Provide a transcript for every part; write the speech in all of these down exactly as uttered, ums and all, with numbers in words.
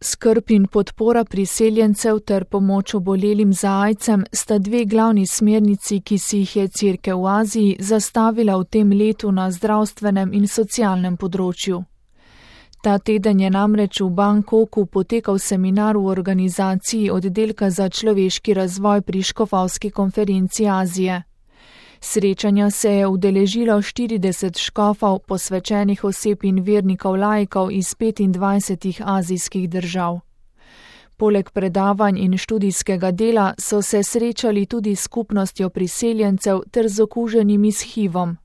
Skrb in podpora priseljencev ter pomoč obolelim za aidsom sta dve glavni smernici, ki si jih je Cerkev v Aziji zastavila v tem letu na zdravstvenem in socialnem področju. Ta teden je namreč v Bangkoku potekal seminar v organizaciji Oddelka za človeški razvoj pri Škofovski konferenci Azije. Srečanja se je udeležilo štirideset škofov, posvečenih oseb in vernikov laikov iz petindvajsetih azijskih držav. Poleg predavanj in študijskega dela so se srečali tudi s skupnostjo priseljencev ter z okuženimi s hivom.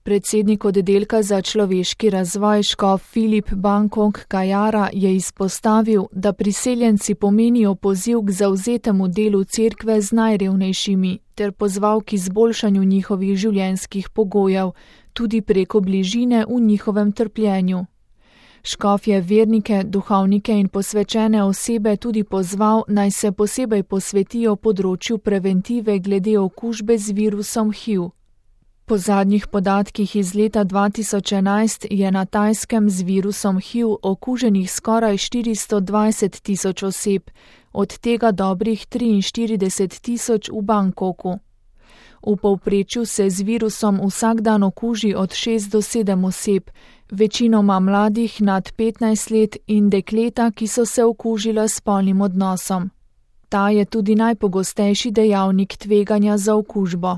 Predsednik Oddelka za človeški razvoj škof Filip Bangkok Kajara je izpostavil, da priseljenci pomenijo poziv k zavzetemu delu cerkve z najrevnejšimi ter pozval k izboljšanju njihovih življenjskih pogojev, tudi preko bližine v njihovem trpljenju. Škof je vernike, duhovnike in posvečene osebe tudi pozval, naj se posebej posvetijo področju preventive glede okužbe z virusom H I V. Po zadnjih podatkih iz leta dva tisoč enajst je na Tajskem z virusom H I V okuženih skoraj štiristo dvajset tisoč oseb, od tega dobrih triinštirideset tisoč v Bangkoku. V povprečju se z virusom vsak dan okuži od šest do sedem oseb, večinoma mladih nad petnajst let in dekleta, ki so se okužila s spolnim odnosom. Ta je tudi najpogostejši dejavnik tveganja za okužbo.